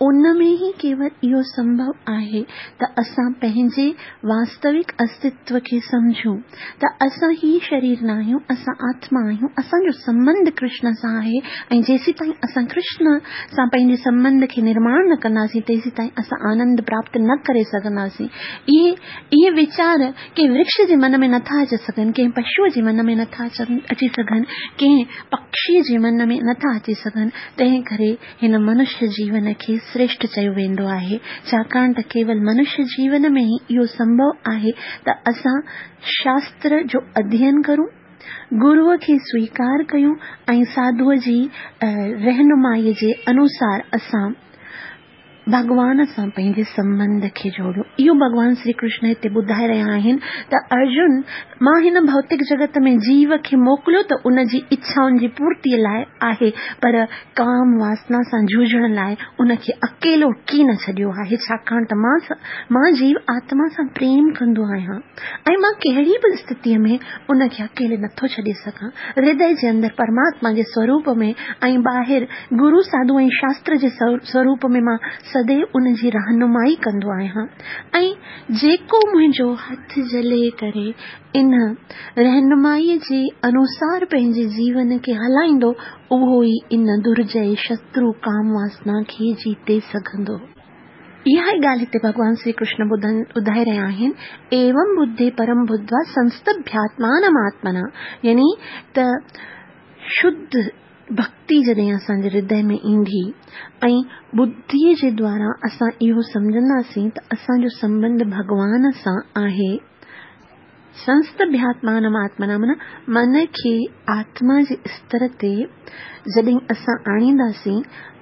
ان ۾ ئي ڪيول اهو سنڀو آهي ته اسان پنهنجي واستوڪ استتو کي سمجهون ته اسان هي شرير ناهيون، اسان آتما آهيون، اسان جو سنٻنڌ ڪرشن سان آهي ۽ جيسيتائين اسان ڪرشن سان پنهنجي سنٻنڌ کي نرماڻ نه ڪنداسين تيسيتائين اسان آنند پراپت نه ڪري سگهنداسين. اهي اهي ويچار ڪنهن ورڪش جي من ۾ نٿا اچي سگهن، ڪنهن پشوء جي من ۾ نٿا اچي سگهن، ڪنهن پکشيء جي من ۾ نٿا اچي سگهن، تنهن ڪري هن منشيه جيون کي سريشٺ چيو ويندو آهي، ڇاڪاڻ ته ڪيول منشيه جيون ۾ ئي اهو سنڀو آهي ته اسان شاستر جو اڌيين ڪرون، گروء کي سويڪار ڪيون ۽ ساڌوء جي رهنمائيء جي انوسار اسان ڀڳوان سان پنهنجي سنٻنڌ کي جوڙيون. اهو ڀڳوان شري ڪرشن هتي ٻڌائي رهيا آهن ته ارجن! مان هن ڀوتڪ جڳت ۾ جيو کي موڪليو ته ان جي اڇائن جي پورتيء لاء آهي پر ڪام واسنا سان جوجهڻ لاء ان کي اڪيلو ڪين ڇڏيو آهي ڇاڪاڻ ته مان مان جيو آتما سان پريم ڪندو آهيان ۽ مان ڪهڙي به استٿيء ۾ ان کي اڪيلي نٿو ڇڏي سگهان. هردي جي اندر پرماتما جي سوروپ ۾ ۽ ٻاهر گرو، ساڌو ۽ شاستر جي سوروپ ۾ مان سديو ان جي رهنمائي ڪندو آهيان ۽ جيڪو منهنجو هٿ جهلي ڪري ان رهنمائيء جي انوسار پنهنجي جيون کي هلائيندو اهو ئي ان درجئي شترو ڪام واسنا کي جيتي سگهندو. اها ئي ڳالهه هتي ڀڳوان شري ڪرشن ٻڌائي رهيا آهن، ايوم ٻڌي پرم ٻڌوا سنستڀياتمانم آتمنا يعني ته شڌ ڀڳتي جڏهن اسان جي هردي ۾ ايندي ۽ ٻڌيء جي دوارا اسان اهو سمجهنداسين ته اسان جو سنٻنڌ ڀڳوان سان آهي. سنستڀياتمانم آتمنا معنيٰ من کي آتما جي استر تي جڏهن اسان آڻينداسين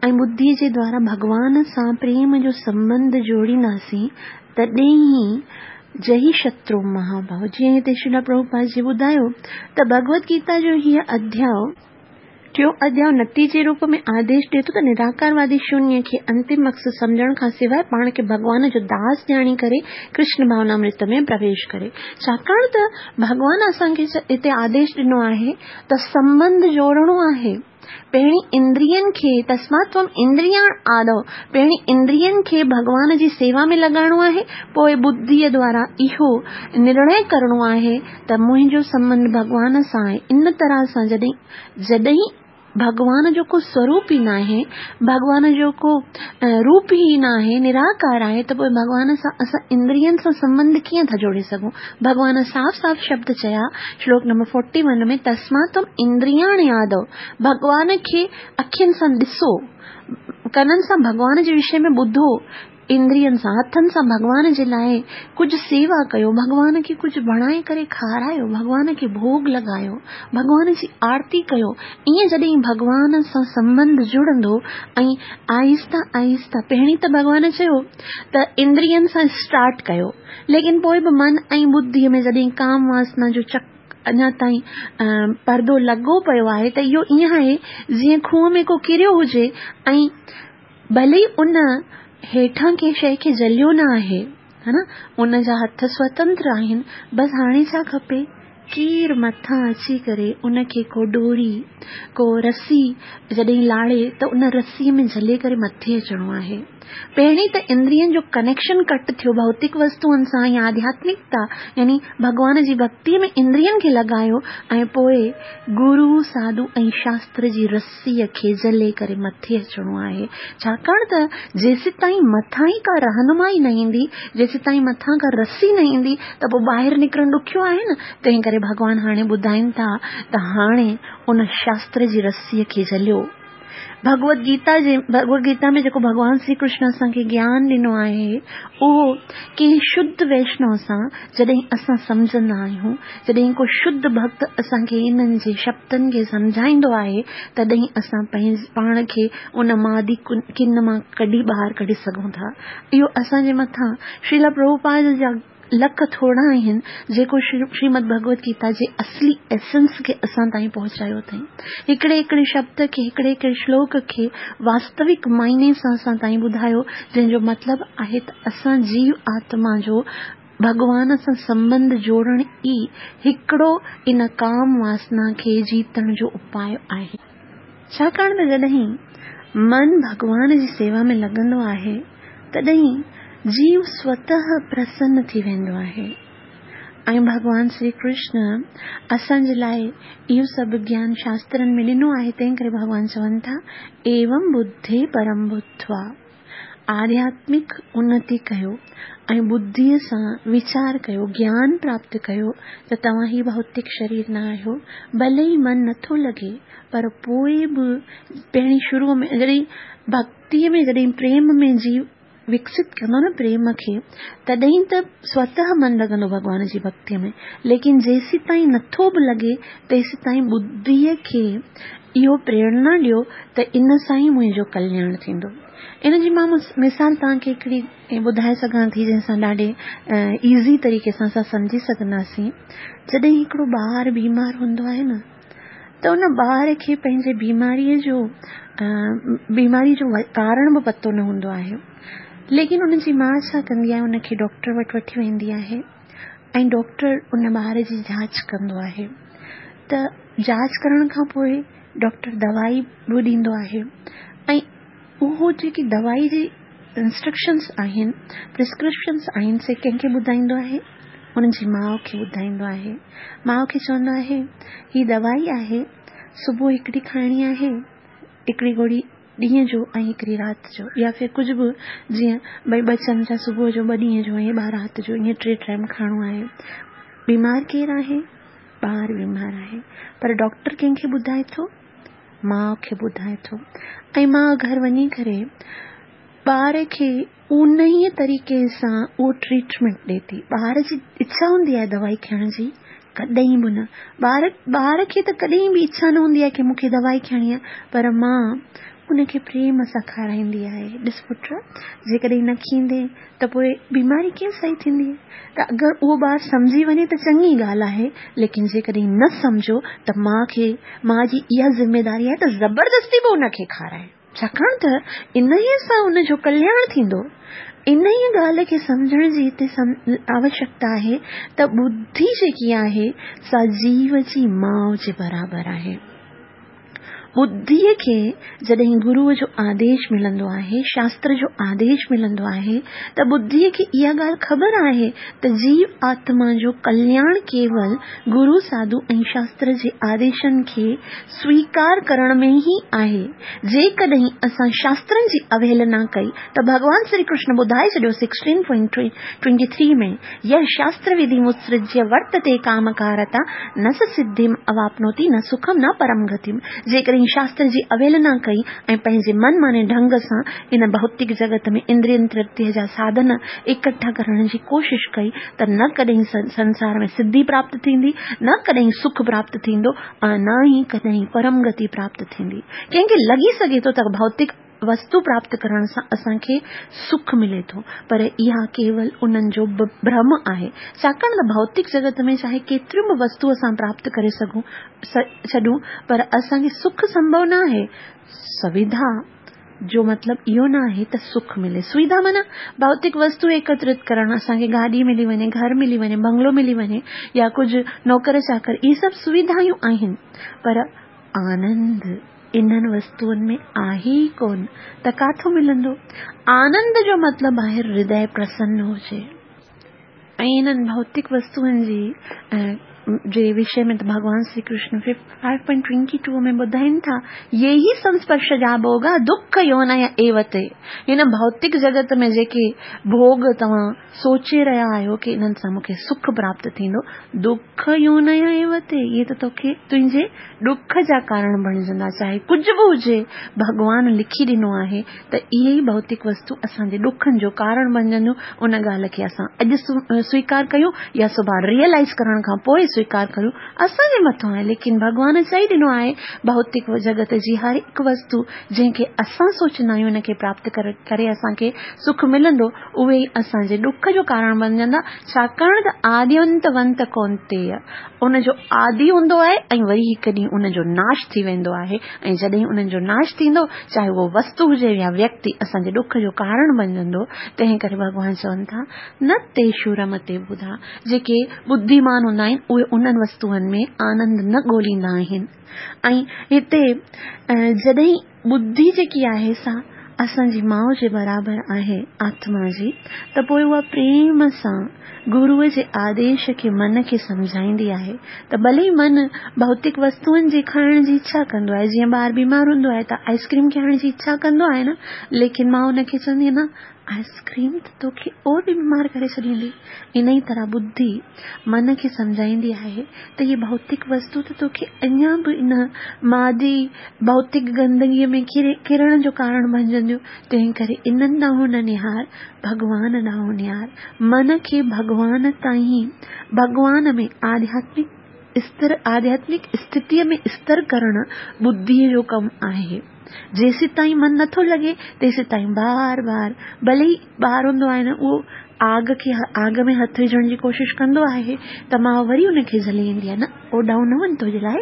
۽ ٻڌيء جي دوارا ڀڳوان سان پريم جو سنٻنڌ جوڙينداسين تڏهن ئي جئي شترو مهاڀاء جيئن هتي شريلا پرڀوپاد جي ٻڌايو ته ڀڳوت گيتا جو هيء اڌياء، ٽيون اڌياء، نتيجي روپ ۾ آديش ڏئي ٿو ته نراڪاروادي شونيه کي انتم مقصد سمجهڻ کان سواء پاڻ کي ڀڳوان جو داس ڄاڻي ڪري ڪرشن ڀاونامرت ۾ پرويش ڪري. ڇاڪاڻ ته ڀڳوان اسان کي هتي آديش ڏنو آهي ته سنٻنڌ جوڙڻو آهي. پهرين اندرين کي، تسمات تم اندرياڻ آدو، پهرين اندرين کي ڀڳوان جي سيوا ۾ لڳائڻو آهي، پوء ٻڌيء دوارا اهو نرڻي ڪرڻو آهي ته منهنجو سنٻنڌ ڀڳوان سان آهي. ان طرح سان جڏهن جڏهن ڀڳوان جو ڪو سوروپ ئي ناهي، ڀڳوان جو ڪو روپ ئي ناهي، نراڪار آهي ته پوء ڀڳوان سان اسان اندرين سان سنٻنڌ ڪيئن ٿا جوڙي سگهون؟ ڀڳوان صاف صاف شبد چيا شلوڪ نمبر فورٽي ون ۾ تسمات تم اندرياڻي آدو ڀڳوان کي اکين سان ڏسو، ڪنن سان ڀڳوان جي وشي ۾ ٻڌو، اندرين سان، هٿن سان ڀڳوان جي لاء ڪجهه سيوا ڪيو، ڀڳوان کي ڪجهه بڻائي ڪري کارايو، ڀڳوان کي ڀوڳ لڳايو، ڀڳوان جي آرتي ڪيو، ائين جڏهن ڀڳوان سان سنٻنڌ جڙندو ۽ آهستي آهستي پهرين ته ڀڳوان چيو ته اندرين سان اسٽارٽ ڪيو ليڪن پوء به من ۽ ٻڌيء ۾ جڏهن ڪام واسنا جو چڪ اڃا تائين پردو لڳو پيو آهي ته اهو ائين آهي جيئن کوهه ۾ ڪو ڪريو هجي ۽ ڀلي ان هيٺان ڪنهن شيء کي جهليو نه آهي، ها نه، ان جا هٿ سوتنتر آهن، بس هاڻي ڇا کپي؟ ڪير مٿان اچي ڪري ان کي ڪو ڏوري، ڪو رسي جڏهن لاڙي ته ان رسيء ۾ جهلي ڪري مٿي اچڻو آهي. پهرين ته اندرين جو ڪنيڪشن ڪٽ ٿيو ڀوتڪ وستوئن سان يا آڌياتمڪتا يعني ڀڳوان جي ڀڳتيء ۾ اندرين کي لڳايو ۽ پوء گرو، ساڌو ۽ شاستر جي رسي رسيء کي جهلي ڪري مٿي اچڻو آهي، ڇاڪاڻ ته جيسيتائين مٿان ئي ڪا رهنمائي نه ايندي، جيسيتائين مٿان ڪا رسي نه ايندي ته پوء ٻاهر نڪرڻ ڏکيو آهي نه، تنهن ڪري ڀڳوان هاڻي ٻڌائين ٿا ته هاڻي ان شاستر جي رسيء کي جهليو. ڀڳوت گيتا جي ڀڳوت گيتا ۾ جيڪو ڀڳوان شري ڪرشن اسان کي گيان ڏنو آهي، اهو ڪنهن شڌ ويشنو سان جڏهن اسان سمجهندا آهيون، جڏهن ڪو شڌ ڀڳت اسان کي انهن جي شبدن کي سمجهائيندو آهي، تڏهن اسان پنهنجي پاڻ کي ان مادي ڪن مان ڪڍي ٻاهر ڪڍي سگهون ٿا. اهو اسان جي مٿان شريلا پرڀوپاد جا لک ٿورا آهن، جيڪو شريمد ڀڳوت گيتا جي اصلي ايسنس کي اسان تائين پهچايو اٿائين. هڪڙي هڪڙي شبد کي، هڪڙي هڪڙي شلوڪ کي واستوڪ معني سان اسان تائين ٻڌايو، جنهن جو مطلب آهي ته اسان جيو آتما جو ڀڳوان سان سنٻنڌ جوڙڻ ئي هڪڙو ان ڪام واسنا کي جيتڻ جو اپاء آهي. ڇاڪاڻ ته جڏهن من ڀڳوان جي سيوا ۾ لڳندو آهي، تڏهن جيو سوتهه پرسن ٿي ويندو آهي ۽ ڀڳوان شري ڪرشن اسان جي لاء اهو سڀ گيان شاسترن ۾ ڏنو آهي، تنهن ڪري ڀڳوان چون ٿا، ايوم ٻڌي پرم ٻڌوا، آڌياتمڪ انتي ڪيو ۽ ٻڌيء سان ويچار ڪيو، گيان پراپت ڪيو ته توهان هي ڀوتڪ شرير نه آهيو، ڀلي ئي من نٿو لڳي پر پوء به پهرين شروع ۾ جڏهن ڀڳتيء ۾ جڏهن پريم ۾ جيو وڪست ڪندو نه پريم کي تڏهن ته سوتهه من لڳندو ڀڳوان جي ڀڳتيء ۾ ليڪن جيسيتائين نٿو به لڳي تيسيتائين ٻڌيء کي اهو پريرنا ڏيو ته ان سان ئي منهنجو ڪلياڻ ٿيندو. ان جي مان مثال توهان کي هڪڙي ٻڌائي سگهان ٿي جنهن سان ڏاڍي ايزي طريقي سان اسان سمجهي سگهنداسين. جڏهن هڪڙو ٻار بيمار هوندو آهي نه ته ان ٻار کي پنهنجي بيماريء جو بيماري جو ڪارڻ به پتو نه هوندو آهي ليڪن ان جي ماء ڇا ڪندي آهي ان کي ڊاڪٽر وٽ وٺي ويندي آهي ۽ ڊاڪٽر ان ٻار جي جاچ ڪندو آهي ته جاچ ڪرڻ کان پوء ڊاڪٽر دوائي به ڏيندو آهي ۽ اهو جيڪي دوائي جي انسٽرڪشنس آهن پرسڪرپشنس آهن سي ڪنهن کي ٻڌائيندو آهي ان جي ماء کي ٻڌائيندو آهي ماء کي چوندو آهي هي دوائي آهي صبح هڪڙي کائڻي آهي هڪڙي گوري ڏينهن جو ۽ هڪڙي رات جو يا ڦر ڪجهه به جيئن ڀئي ٻه چمچا صبح جو ٻه ڏينهن جو ۽ ٻه رات جو ائين ٽي ٽائيم کائڻو آهي بيمار ڪير آهي ٻار بيمار آهي پر ڊاڪٽر ڪنهن کي ٻڌائي ٿو ماء کي ٻڌائي ٿو ۽ ماء گهر وڃي ڪري ٻار کي انهيء طريقي سان اهو ٽريٽمينٽ ڏي ٿي. ٻار جي اڇا هوندي آهي دوائي کائڻ جي؟ ڪڏهن به نه. ٻار ٻار کي ته ڪڏهن به اڇا نه هوندي آهي ڪي مون کي دوائي کائڻي آهي پر ماء ان کي پريم سان کارائيندي آهي. ڏس پٽ جيڪڏهن نه کيندين ته پوء بيماري ڪيئن صحيح ٿيندي؟ ته اگر اهو ٻار سمجهي وڃي ته چڱي ڳالهه آهي، ليڪن جيڪڏهن نه سمجهيو ته ماء کي ماء جي اها ذميداري آهي ته زبردستي به ان کي کارائي، ڇاڪاڻ ته انهيء سان ان جو ڪلياڻ ٿيندو. انهيء ڳالهه کي سمجهڻ جي هتي آوشڪتا آهي ته ٻڌي جيڪي آهي سا جيو جي ماء جي برابر آهي. ٻڌيء کي جڏهن گروء جو آديش ملندو آهي، شاستر جو آديش ملندو آهي ته ٻڌيء کي اها ڳالهه خبر آهي ته جيو آتما جو ڪلياڻ ڪيول گرو، ساڌو ۽ شاستر جي آديشن کي سويڪار ڪرڻ ۾ ئي آهي. جيڪڏهن اسان شاسترن جي اوهيلنا ڪئي ته ڀڳوان سري ڪرشن ٻڌائي ڇڏيو sixteen point twenty three ۾ يه شاستر وڌي متسرجيه ورتتي ڪامڪارتا نه س سڌيم اواپنوتي نه سکم نه پرم گتيم جيڪڏهن شاستر جي اوهيلنا ڪئي ۽ پنهنجي من ماني ڍنگ سان ان ڀوتڪ جڳت ۾ اندرين ترپتيء جا ساڌن اڪٺا ڪرڻ جي ڪوشش ڪئي ته نه ڪڏهن سنسار ۾ سڌي پراپت ٿيندي نه ڪڏهن سک پراپت ٿيندو ۽ نه ئي ڪڏهن پرم گتي پراپت ٿيندي. ڪنهن کي لڳي سگهي ٿو ته ڀوتڪ وستو پراپت ڪرڻ سان اسان کي سک ملي ٿو پر اها ڪيول انهن جو ڀرم آهي ڇاڪاڻ ته ڀوتڪ جڳت ۾ چاهي ڪيتريون به وستو اسان پراپت ڪري سگهون ڇڏون پر اسان کي سک سنڀو نه آهي. سويڌا جو مطلب اهو نه آهي ته سک ملي. سويڌا معنيٰ ڀوتڪ وستو ايڪترت ڪرڻ، اسان کي گاڏي ملي وڃي، گهر ملي وڃي، بنگلو ملي وڃي يا ڪجهه نوڪر چاڪر، اهي سڀ سويڌايون آهن پر آنند انهن وستوئن ۾ آهي ئي ڪونه ته ڪاٿو ملندو؟ آنند جو مطلب آهي هردي پرسن هجي. ۽ انهن ڀوتڪ وستوئن جي جي وشي ۾ ته ڀڳوان Shri Krishna five point twenty two ۾ ٻڌائين ٿا، يي هي سنسپرشجا ڀوگا دک يونئه ايو تي هن ڀوتڪ جڳت ۾ جيڪي ڀوڳ توهان سوچي رهيا آهيو ڪي انهن سان مون کي سک پراپت ٿيندو، دک يونئه ايو تي اهي ته توکي تنهنجي ڏک جا ڪارڻ بڻجندا، چاهي ڪجهه به هجي ڀڳوان لکي ڏنو آهي ته اهي ئي ڀوتڪ وستو اسان جي ڏکن جو ڪارڻ بڻجنديون، ان ڳالهه کي اسان اڄ سويڪار ڪيون يا سڀاڻ ريئلائيز ڪرڻ کان پوء سويڪار ڪريون اسان جي مٿان آهي، ليڪن ڀڳوان چئي ڏنو آهي ڀوتڪ جڳت جي هر هڪ وستو جنهن کي اسان سوچيندا آهيون ان کي پراپت ڪري اسان کي سک ملندو اهي ئي اسان جي ڏک جو ڪارڻ بڻجندا ڇاڪاڻ ته آدينت ونت ڪونتيه ان جو آدي هوندو آهي ۽ وري هڪ ڏينهن ان جو ناش ٿي ويندو آهي ۽ جڏهن انهن جو ناش ٿيندو، چاهي اهو وستو هجي يا ويڪتي، اسان جي ڏک جو ڪارڻ بنجندو، تنهن ڪري ڀڳوان چون ٿا، نه تيشو رمتي ٻڌا، جيڪي ٻڌيمان هوندا آهن، اهي انهن وستوئن ۾ آنند نه ڳوليندا آهن. ۽ هتي جڏهن ٻڌي جيڪي آهي سا اسان جي ماء جي برابر آهي، آتما جي، ته پوء اها پريم سان گروء جي آديش کي من کي سمجهائيندي آهي ته ڀلي من ڀوتڪ وستوئن جي کائڻ جي اڇا ڪندو آهي، جيئن ٻار بيمار هوندو آهي ته آئس ڪريم کائڻ جي اڇا ڪندو آهي نه، ليڪن ماء ان کي چوندي آهي نه آئس ڪريم ته توکي اور به بيمار ڪري ڇڏيندي. انهي طرح ٻڌي من کي سمجهائيندي آهي ته هي ڀوتڪ وستو ته توکي اڃا به ان مادي ڀوتڪ گندگيء ۾ ڪرڻ جو ڪارڻ بڻجنديون، تنهن ڪري انهن ڏانهن نه نهار، ڀڳوان ڏانهن نهار. من کي ڀڳوان تائين، ڀڳوان ۾ آڌياتمڪ استر، آڌياتمڪ اسٿتيء ۾ استر ڪرڻ ٻڌيء جو ڪم آهي. جيسيتائين من نٿو لڳي، تيسيتائين بار بار، ڀلي ئي ٻار هوندو آهي نه اهو آگ کي آگ ۾ هٿ وجهڻ جي ڪوشش ڪندو آهي ته ماء وري ان کي جهلي ايندي آهي نه اوڏانهن نه وڃ تنهنجي لاء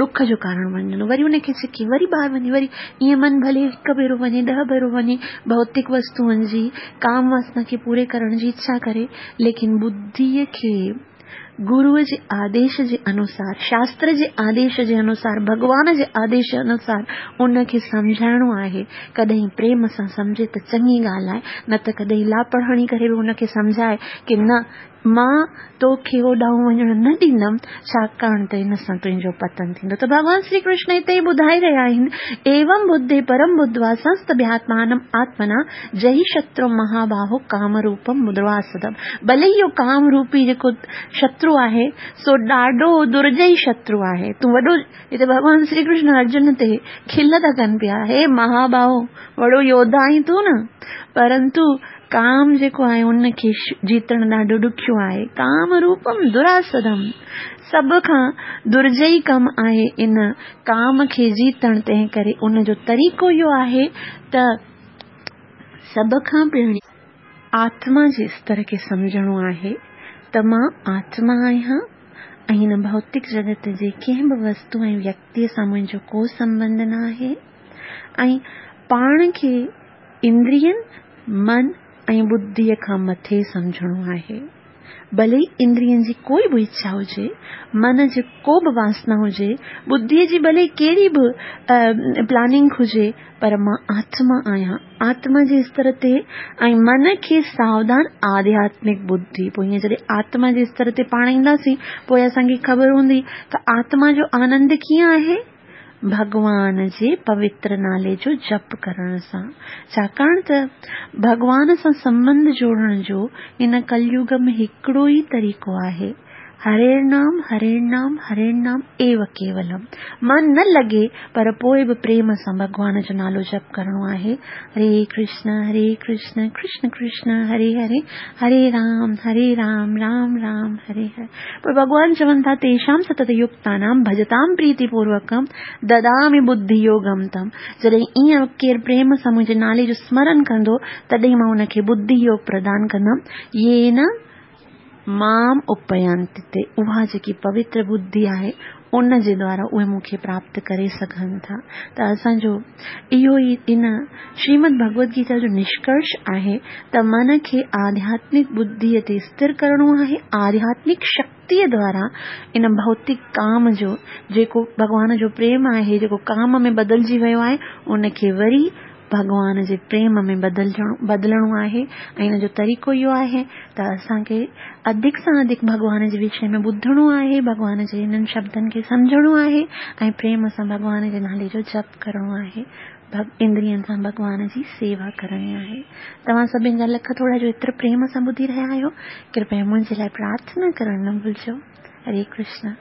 ڏک جو ڪارڻ بڻجندو وري ان کي ڇڪي وري ٻاهر وڃي وري ائين من ڀلي هڪ ڀيرو وڃي ڏهه ڀيرو وڃي ڀوتڪ وستوئن جي ڪام واسنا کي پوري ڪرڻ جي اڇا ڪري ليڪن ٻڌيء کي گروء جي آديش جي انوسار شاستر جي آديش جي انوسار ڀڳوان جي آديش جي انوسار ان کي سمجهائڻو آهي ڪڏهن پريم سان سمجهي ته چڱي ڳالهه آهي نه ته ڪڏهن لاپڙ هڻي ڪري به ان کي سمجهائي ڪي نه مان تو کي اوڏانهن وڃڻ نه ڏيندم، ڇاڪاڻ ته ان سان تنهنجو پتن ٿيندو. ته ڀڳوان شري ڪرشن هتي ئي ٻڌائي رهيا آهن، ايوم ٻڌي پرم ٻڌوا سنستڀياتمانم آتمنا جهي شترو مهاباهو ڪام روپم دراسدم. ڀلي اهو ڪام روپي جيڪو شترو آهي، سو ڏاڍو درجئي شترو آهي. تون وڏو هتي ڀڳوان شري ڪرشن ارجن تي کل ٿا ڪن پيا، هي مهاباهو وڏو يوڌا آهين تون نه، پرنتو ڪام جيڪو آهي ان کي جيتڻ ڏاڍو ڏکيو آهي. ڪام روپم دراسدم سڀ کان درجئي ڪم آهي ان ڪام کي جيتڻ تنهن ڪري ان جو طريقو اهو آهي ته سڀ کان پهرين آتما جي استر کي سمجهڻو آهي ته مان آتما آهيان ۽ هن ڀوتڪ جڳت جي ڪنهن به وستو ۽ ويڪتيء سان منهنجو ڪو سنٻنڌ نه آهي ۽ پاڻ کي اندرين، من ۽ ٻڌيء کان مٿي سمجهڻو آهي. ڀلي ئي اندرين جي ڪوئي به اڇا هجي، من جي ڪو به واسنا هجي، ٻڌيء جي ڀلي ڪهڙي به پلاننگ هجي، پر مان آتما آهيان. آتما جي استر تي ۽ من کي ساوڌان آڌياتمڪ ٻڌي. پوء ائين جڏهن آتما جي استر تي پاڻ اينداسين، پوء اسان کي خبر هوندي ته آتما جو آنند ڪيئن آهي؟ ڀڳوان جي پوتر نالي جو جپ ڪرڻ سان. ڇاڪاڻ ته ڀڳوان سان سنٻنڌ جوڙڻ جو هن ڪليوگ ۾ هڪڙو ئي طريقو آهي، هريرنام هريرنام هريرنام ايو ڪيولم. من نه لڳي پر پوء به پريم سان ڀڳوان جو نالو جپ ڪرڻو آهي. هري ڪرشن هري ڪرشن ڪرشن ڪرشن هري هري هري رام هري رام رام رام هري هري. پوء ڀڳوان چون ٿا تيشام ستت يڪتانام ڀجتام پريتي پوروڪم ددامي ٻڌي يوگم تم. جڏهن ائين ڪير پريم سان منهنجي نالي جو سمرن ڪندو تڏهن مان ان کي ٻڌي يوگ پردان ڪندم. يين مام اپيانتي تي اها جيڪي پوتر ٻڌي آهي ان جي دوارا اهي مون کي پراپت ڪري سگهن ٿا ته اسان جو اهو ئي ان شريمد ڀڳوت گيتا جو نشڪرش آهي ته من کي آڌياتمڪ ٻڌيء تي استر ڪرڻو آهي آڌياتمڪ شڪتيء دوارا ان ڀوتڪ ڪام جو جيڪو ڀڳوان جو پريم آهي جيڪو ڪام ۾ بدلجي ويو آهي ان کي وري ڀڳوان جي پريم ۾ بدلڻو آهي ۽ ان جو طريقو اهو آهي ته اسان کي اڌڪ سان اڌڪ ڀڳوان جي وشي ۾ ٻڌڻو آهي، ڀڳوان جي انهن شبدن کي سمجهڻو آهي ۽ پريم سان ڀڳوان جي نالي جو جپ ڪرڻو آهي، اندرين سان ڀڳوان جي سيوا ڪرڻي آهي. توهان سڀن جا لک ٿورا جو ايترو پريم سان ٻڌي رهيا آهيو. ڪرپيا منهنجي لاء پرارٿنا ڪرڻ نه ڀلجو. هري ڪرشن.